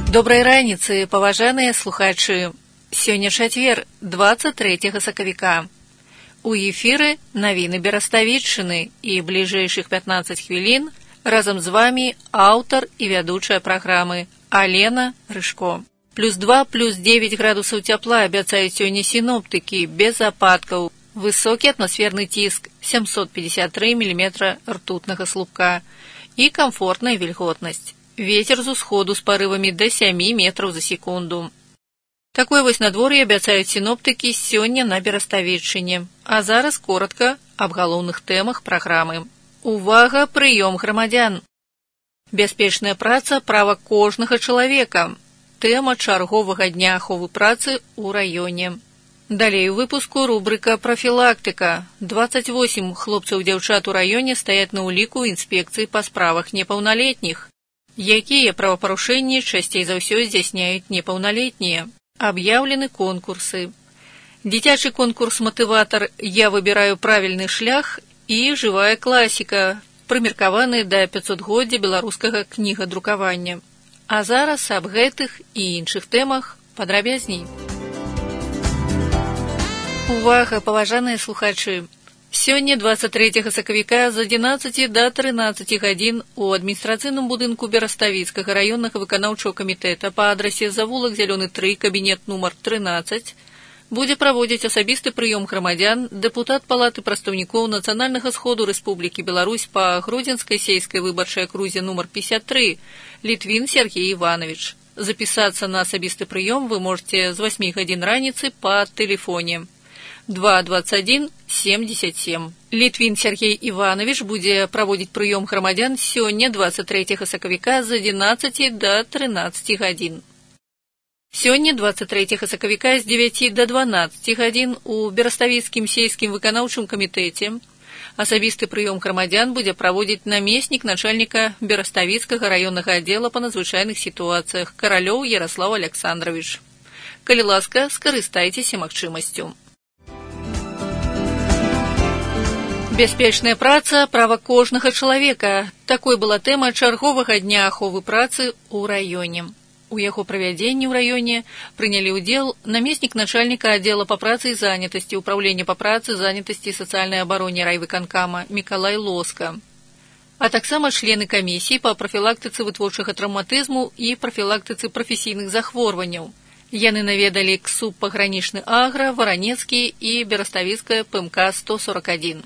Добрай раніцы, паважаныя слухачы. Сёння чацвер, 23 сакавіка. У эфіры навіны Бераставіччыны і бліжэйшых 15 хвілін разам з вамі аўтар і вядучая праграмы Алена Рыжко. +2, +9 градусаў цяпла абяцаюць сёння сіноптыкі, без ападкаў. Высокі атмасферны ціск 753 мм ртутнага слупка і камфортная вільготнасць. Ветер з усходу з парывамі да 7 метраў за секунду. Такое вось надвор'е абяцаюць сіноптыкі сёння на Бераставіччыне. А зараз коротка аб галоўных тэмах праграмы. Увага, прыём грамадзян! Бяспечная праца – права кожнага чалавека. Тэма чарговага дня аховы працы ў раёне. Далей у выпуску рубрика «Профілактыка». 28 хлопцаў-дзяўчат у раёне стаяць на ўліку інспекцыі па справах непаўналетніх. Якія правапарушэнні часцей за ўсё здзяйсняюць непаўналетнія? Аб'яўлены конкурсы. Дзіцячы конкурс «Матыватар. Я выбіраю правільны шлях» і жывая класіка, прымеркаваны да 500годдзя беларускага кнігадрукавання. А зараз аб гэтых і іншых тэмах падрабязней. Увага, паважаныя слухачы! Сёння, 23 сакавіка, з 11 да 13 гадзін у адміністрацыйным будынку Бераставіцкага раённага выканаўчага камітэта па адрасе завулак Зялёны 3, кабінет нумар 13, будзе праводзіць асабісты прыём грамадзян дэпутат Палаты прадстаўнікоў Нацыянальнага сходу Рэспублікі Беларусь па Гродзенскай сельскай выбарчай акрузе нумар 53 Літвін Сергей Іванович. Запісацца на асабісты прыём вы можете з 8 гадзін раніцы па тэлефоне 221-77. Літвін Сергей Іванович будзе праводзіць прыём грамадзян сёння, 23 сакавіка, з 11 да 13 гадзін. Сёння, 23 сакавіка, з 9 да 12 гадзін у Бераставіцкім сельскім выканаўчым камітэце асабісты прыём грамадзян будзе праводзіць намеснік начальніка Бераставіцкага раённага аддзела па надзвычайных сітуацыях Каралёў Яраслаў Александрович. Калі ласка, скарыстайцеся магчымасцю. Бяспечная праца – права кожнага чалавека. Такой была тэма чарговага дня аховы працы ў раёне. У яго правядзенні ў раёне прынялі ўдзел намеснік начальніка аддзела па працы і занятасці Управлення па працы, занятасці і сацыяльнай абароне райвыканкама Мікалай Лоска, а таксама члены камісіі па прафілактыцы вытворчага траўматызму і прафілактыцы прафесійных захворванняў. Яны наведалі КСУП пагранічны Агра, Варанецкі і Бераставіцкая ПМК 141.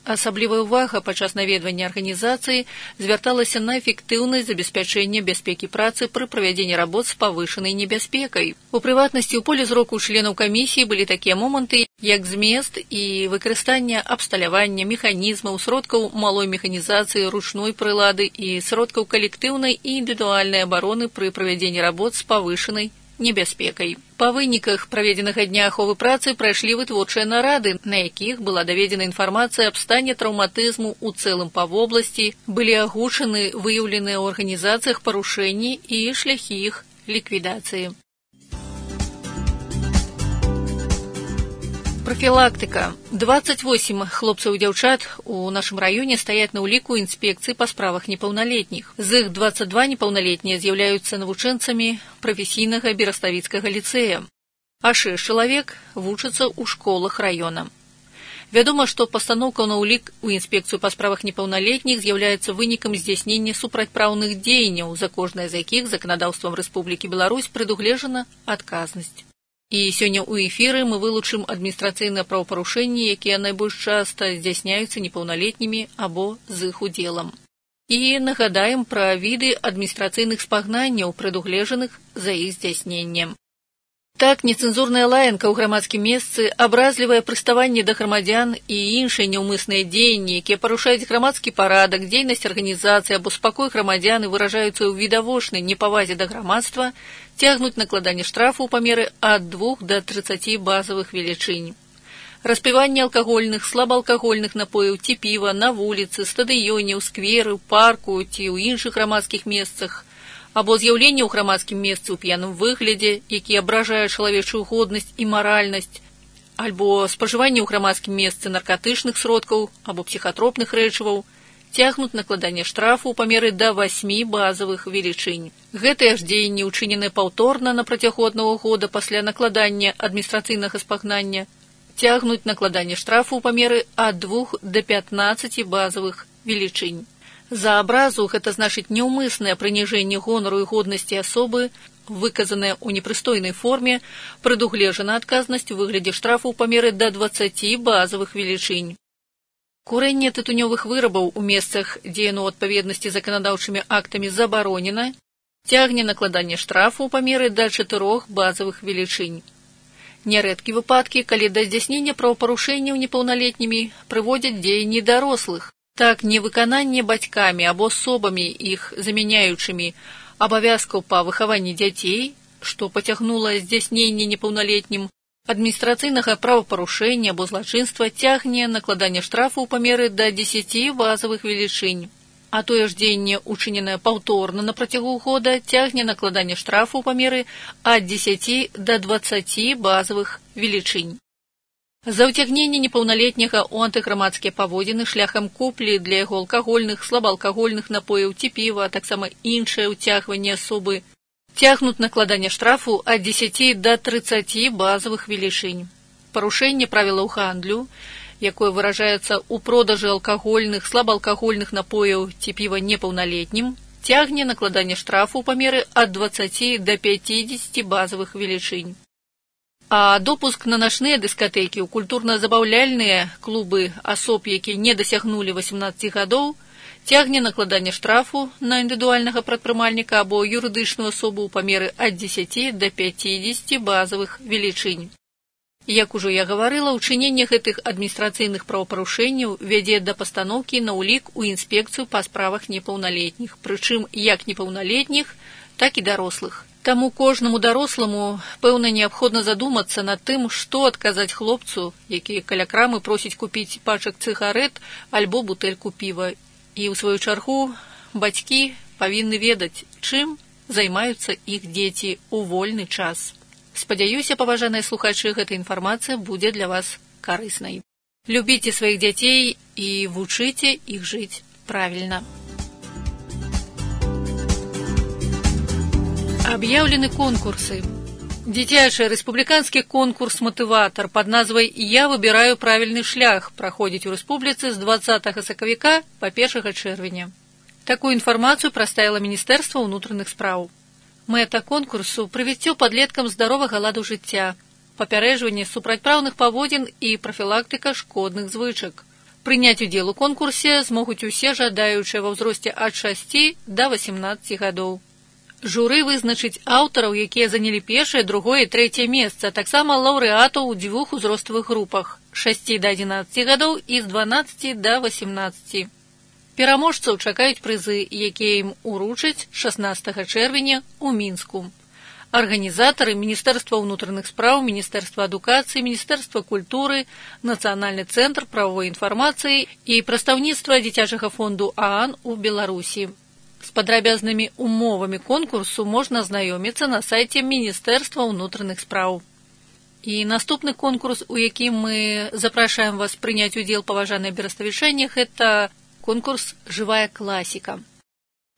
Асаблівая ўвага падчас наведвання арганізацыі звярталася на эфектыўнасць забеспячэння бяспекі працы пры правядзенні работ з павышанай небяспекай. У прыватнасці, у поле зроку членаў камісіі былі такія моманты, як змест і выкарыстанне абсталявання механізмаў, сродкаў малой механізацыі, ручной прылады і сродкаў калектыўнай і індывідуальнай абароны пры правядзенні работ з павышанай небяспекай. Па выніках праведзенага дня аховы працы прайшлі вытворчыя нарады, на якіх была даведзена інфармацыя аб стане траўматызму ў цэлым па вобласці, былі агучаны выяўленыя ў арганізацыях парушэнні і шляхі іх ліквідацыі. Профілактыка. 28 хлопцаў і дзяўчат у нашым раёне стаяць на ўліку інспекцыі па справах непаўналетніх. З іх 22 непаўналетнія з'яўляюцца навучэнцамі прафесійнага Бераставіцкага ліцэя, а 6 чалавек вучацца ў школах раёна. Вядома, што пастаноўка на ўлік у інспекцыю па справах непаўналетніх з'яўляецца вынікам здзяйснення супрацьпраўных дзеянняў, за кожнае з якіх заканадаўствам Рэспублікі Беларусь прадугледжана адказнасць. І сёння ў эфіры мы вылучым адміністрацыйныя правапарушэнні, якія найбольш часта здзяйсняюцца непаўналетнімі або з іх удзелам. І нагадаем пра віды адміністрацыйных спагнанняў, прадугледжаных за іх здзяйсненнем. Так, нецэнзурная лаянка ў грамадскім месцы, абразлівае прыставанне да грамадзян і іншыя няўмысныя дзеянні, якія парушаюць грамадскі парадак, дзейнасць арганізацыі або спакой грамадзян і выражаюцца ў відавочнай непавазе да грамадства, цягнуць накладанне штрафу ў памеры ад 2 да 30 базавых велічынь. Распіванне алкагольных, слабаалкагольных напояў ці піва на вуліцы, стадыёне, ў скверы, ў парку ці ў іншых грамадскіх месцах, або з'яўленне ў грамадскім месцы ў п'яным выглядзе, які абражае чалавечую годнасць і маральнасць, альбо спажыванне ў грамадскім месцы наркатычных сродкаў або псіхатропных рэчываў, цягнуць накладанне штрафу ў памеры да 8 базавых велічынь. Гэтыя ж дзеянні ўчыненыя паўторна на працягу аднаго года пасля накладання адміністрацыйнага спагнання, цягнуць накладанне штрафу ў памеры ад 2 да 15 базавых велічынь. За абразу гэта значыць няўмыснае прыніжэнне гонару і годнасці асобы, выказанае ў непрыстойнай форме, прадугледжана адказнасць у выглядзе штрафу ў памеры да 20 базавых велічынь. Курэнне тытунёвых вырабаў у месцах, дзе яно ў адпаведнасці з заканадаўчымі актамі забаронена, цягне накладанне штрафу ў памеры да 4 базавых велічынь. Нярэдкі выпадкі, калі да здзяйснення правапарушэнняў непаўналетнімі прыводзяць дзеянні дарослых. Так, невыкананне бацькамі або асобамі іх замяняючымі абавязкаў па выхаванні дзяцей, што пацягнула здзяйсненне непаўналетнім, адміністрацыйнага правапарушэння або злачынства цягне накладанне штрафу ў памеры да 10 базавых велічынь. А тое ж дзеянне, учыненае паўторна на працягу года, цягне накладанне штрафу ў памеры ад 10 да 20 базавых велічынь. За ўцягненне непаўналетняга ў антыграмадскія паводзіны шляхам куплі для яго алкагольных, слабаалкагольных напояў ці піва, а таксама іншае ўцягванне асобы, цягнуць накладанне штрафу ад 10 да 30 базавых велічынь. Парушэнне правілаў гандлю, якое выражаецца ў продажы алкагольных, слабаалкагольных напояў ці піва непаўналетнім, цягне накладанне штрафу ў памеры ад 20 да 50 базавых велічынь. А допуск на начныя дыскатэкі ў культурна-забаўляльныя клубы асоб, якія не дасягнулі 18 гадоў, цягне накладанне штрафу на індывідуальнага прадпрымальніка або юрыдычную асобу ў памеры ад 10 да 50 базавых велічынь. Як ужо я гаварыла, учыненне гэтых адміністрацыйных правапарушэнняў вядзе да пастаноўкі на ўлік у інспекцыю па справах непаўналетніх, прычым як непаўналетніх, так і дарослых. Таму кожнаму даросламу, пэўна, неабходна задумацца над тым, што адказаць хлопцу, які каля крамы просіць купіць пачак цыгарэт альбо бутэльку піва. І, ў сваю чаргу, бацькі павінны ведаць, чым займаюцца іх дзеці ў вольны час. Спадзяюся, паважаныя слухачы, гэта інфармацыя будзе для вас карыснай. Любіце сваіх дзяцей і вучыце іх жыць правільна. Аб'яўлены конкурсы. Дзіцячы рэспубліканскі конкурс «Матыватар» пад назвай «Я выбіраю правільны шлях» праходзіць у рэспубліцы з 20 сакавіка па 1 чэрвеня. Такую інфармацыю прадставіла Міністэрства ўнутраных спраў. Мэта конкурсу – прывіццё падлеткам здаровага ладу жыцця, папярэджванне супрацьпраўных паводзін і прафілактыка шкодных звычак. Прыняць удзел у конкурсе змогуць усе жадаючыя ва ўзросце ад 6 да 18 гадоў. Журы вызначыць аўтараў, якія занялі першае, другое і трэцяе месца, таксама лаўрэатаў у 2 узроставых групах – 6 да 11 гадоў і з 12 да 18. Пераможцаў чакаюць прызы, якія ім уручаць 16 чэрвеня ў Мінску. Арганізатары Міністэрства ўнутраных спраў, Міністэрства адукацыі, Міністэрства культуры, Нацыянальны цэнтр прававой інфармацыі і прадстаўніцтва дзіцячага фонду ААН у Беларусі. З падрабязнымі умовамі конкурсу можна азнаёміцца на сайце Міністэрства ўнутраных спраў. І наступны конкурс, у якім мы запрашаем вас прыняць удзел, паважаныя бераставічане, гэта конкурс «Жывая класіка».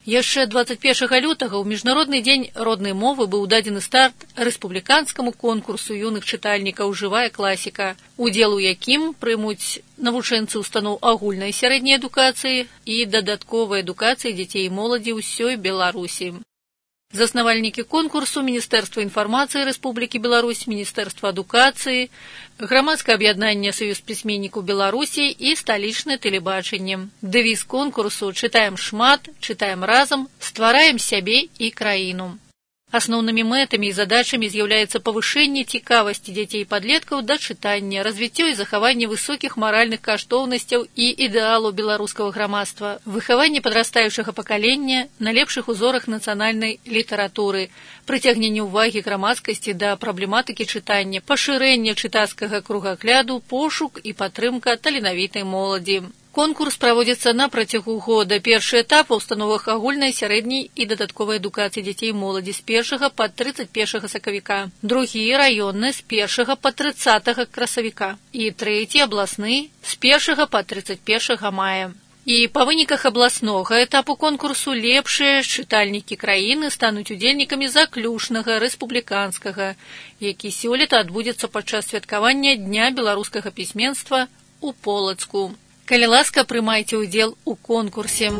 Яшчэ 21 лютага ў Міжнародны дзень роднай мовы быў дадзены старт рэспубліканскаму конкурсу юных чытальнікаў «Жывая класіка», удзел у якім прымуць навучэнцы устаноў агульнай сярэдняй адукацыі і дадатковай адукацыі дзяцей і моладзі ўсёй Беларусі. Заснавальнікі конкурсу Міністэрства інфармацыі Рэспублікі Беларусь, Міністэрства адукацыі, грамадскае аб'яднанне Саюз пісьменнікаў Беларусі і сталічнае тэлебачанне. Дэвіз конкурсу «Чытаем шмат, чытаем разам, ствараем сябе і краіну». Асноўнымі мэтамі і задачамі з'яўляецца павышэнне цікавасці дзяцей і падлеткаў да чытання, развіццё і захаванне высокіх маральных каштоўнасцяў і ідэалаў беларускага грамадства, выхаванне падрастаючага пакалення на лепшых узорах нацыянальнай літаратуры, прыцягненне ўвагі грамадскасці да праблематыкі чытання, пашырэнне чытацкага кругагляду, пошук і падтрымка таленавітай моладзі. Конкурс праводзіцца на працягу года. Першы этап у установах агульнай, сярэдняй і дадатковай адукацыі дзяцей і моладзі з 1 па 31 сакавіка. Другі раённы з 1 па 30 красавіка. І трэці абласны з 1 па 31 мая. І па выніках абласнога этапу конкурсу лепшыя чытальнікі краіны стануць удзельнікамі заключнага рэспубліканскага, які сёлета адбудзецца падчас святкавання Дня беларускага пісьменства у Полацку. Калі ласка, прымайце ўдзел у конкурсе.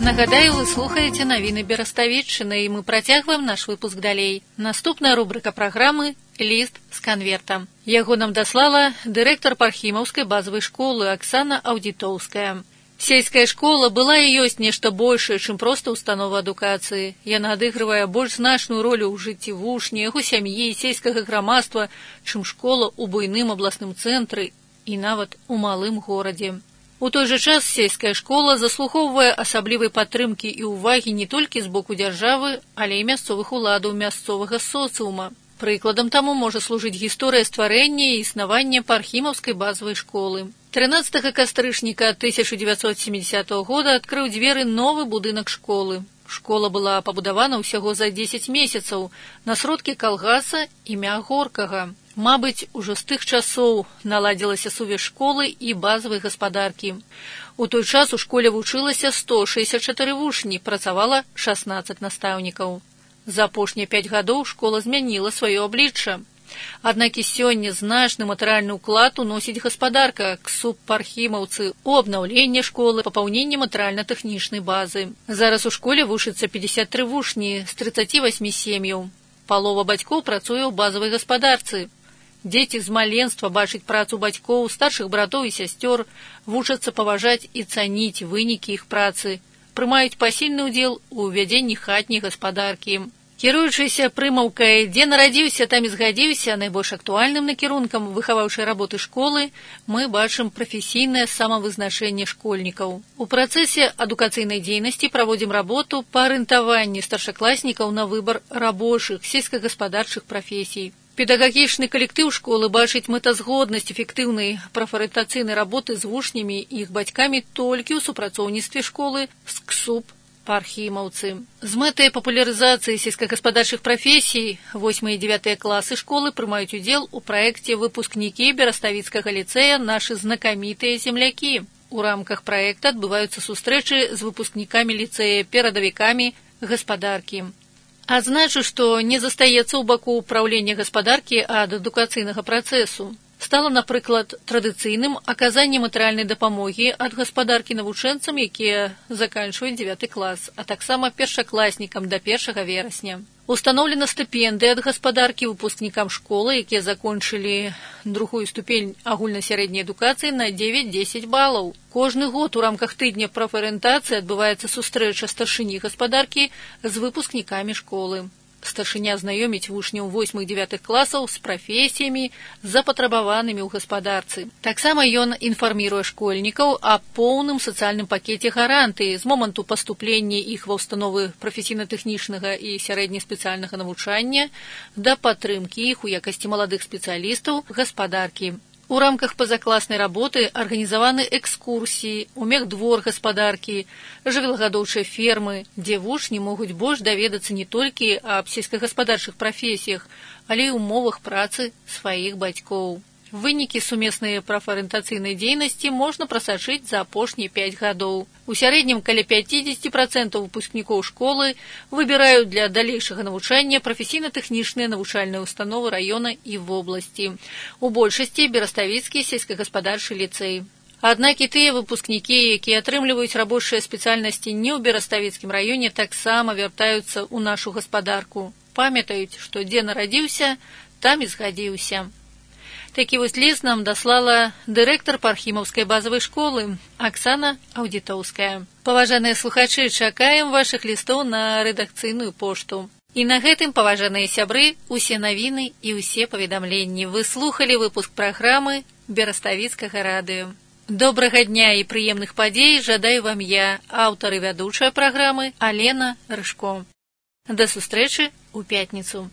Нагадаю, вы слухаеце навіны Бераставіччыны, і мы працягваем наш выпуск далей. Наступная рубрыка праграмы «Ліст з канвертам». Яго нам даслала дырэктар Пархімаўскай базавай школы Аксана Аўдзітоўская. Сельская школа была і ёсць нешта большае, чым проста установа адукацыі. Яна адыгрывае больш значную ролю ў жыцці вучня, яго сям'і, сельскага грамадства, чым школа ў буйным абласным цэнтры і нават у малым горадзе. У той жа час сельская школа заслухоўвае асаблівай падтрымкі і ўвагі не толькі з боку дзяржавы, але і мясцовых уладаў, мясцовага соцыума. Прыкладам таму можа служыць гісторыя стварэння і існавання Пархімаўскай базавай школы. 13 кастрычніка 1970 года адкрыў дзверы новы будынак школы. Школа была пабудавана ўсяго за 10 месяцаў на сродкі калгаса імя Горкага. Мабыць, ужо з тых часоў наладзілася сувязь школы і базавай гаспадаркі. У той час у школе вучылася 164 вучні, працавала 16 настаўнікаў. За апошнія 5 гадоў школа змяніла сваё аблічча. Аднак і сёння значны матэрыяльны ўклад уносіць гаспадарка, КСУП Пархімаўцы, у абнаўленне школы, папаўненне матэрыяльна-тэхнічнай базы. Зараз у школе вучыцца 53 вучні з 38 сем'яў. Палова бацькоў працуе ў базавай гаспадарцы. Дзеці з маленства бачаць працу бацькоў, старшых братоў і сясцёр, вучацца паважаць і цаніць вынікі іх працы, прымаюць пасільны ўдзел у ўвядзенні хатняй гаспадаркі. Кіруючыся прымаўкай «Дзе нарадзіўся, там і згадзіўся» найбольш актуальным накірункам выхаваўчай работы школы мы бачым прафесійнае самавызначэнне школьнікаў. У працэсе адукацыйнай дзейнасці праводзім работу па арыентаванні старшакласнікаў на выбар рабочых, сельскагаспадарчых прафесій. Педагагічны калектыў школы бачыць мэтазгоднасць эфектыўнай прафарыентацыйнай работы з вучнямі і іх бацькамі толькі ў супрацоўніцтве школы з КСУП Пархімаўцы. З мэтай папулярызацыі сельскагаспадарчых прафесій 8 і 9 класы школы прымаюць удзел у праекце выпускнікі Бераставіцкага ліцэя «Нашы знакамітыя землякі». У рамках праекта адбываюцца сустрэчы з выпускнікамі ліцэя, перадавікамі гаспадаркі. Адзначу, што не застаецца ў баку ўпраўлення гаспадаркі ад адукацыйнага працэсу. Стала, напрыклад, традыцыйным аказанне матэрыяльнай дапамогі ад гаспадаркі навучэнцам, якія заканчваюць 9 клас, а таксама першакласнікам да 1 верасня. Устаноўлена стыпендыя ад гаспадаркі выпускнікам школы, якія закончылі другую ступень агульнасярэдняй адукацыі на 9-10 балаў. Кожны год у рамках тыдня прафарыентацыі адбываецца сустрэча старшыні гаспадаркі з выпускнікамі школы. Старшыня знаёміць вучняў 8-9 класаў з прафесіямі, запатрабаванымі ў гаспадарцы. Таксама ён інфарміруе школьнікаў о поўным сацыяльным пакеце гарантыі з моманту паступлення іх ва ўстановы прафесійна-тэхнічнага і сярэднеспецыяльнага навучання да падтрымкі іх у якасці маладых спецыялістаў гаспадаркі. У рамках пазакласнай работы арганізаваны экскурсіі, у мехдвор гаспадаркі, жывёлагадоўчыя фермы, дзе вучні могуць больш даведацца не толькі аб сельскагаспадарчых прафесіях, але і умовах працы сваіх бацькоў. Вынікі сумеснай прафарыентацыйнай дзейнасці можна прасачыць за апошнія 5 гадоў. У сярэднім каля 50% выпускнікоў школы выбіраюць для далейшага навучання прафесійна-тэхнічныя навучальныя установы раёна і вобласці. У большасці Бераставіцкі сельскагаспадарчы ліцэй. Аднак і тыя выпускнікі, якія атрымліваюць рабочыя спецыяльнасці не ў Бераставіцкім раёне, таксама вяртаюцца ў нашу гаспадарку. Памятаюць, што дзе нарадзіўся, там і згадзіўся. Такі вось ліст нам даслала дырэктар Пархімаўскай базавай школы Аксана Аўдзітоўская. Паважаныя слухачы, чакаем вашых лістоў на рэдакцыйную пошту. І на гэтым, паважаныя сябры, усе навіны і ўсе паведамленні. Вы слухалі выпуск праграмы Бераставіцкага радыё. Добрага дня і прыемных падзей жадаю вам я, аўтар і вядучая праграмы Алена Рыжко. Да сустрэчы ў пятніцу.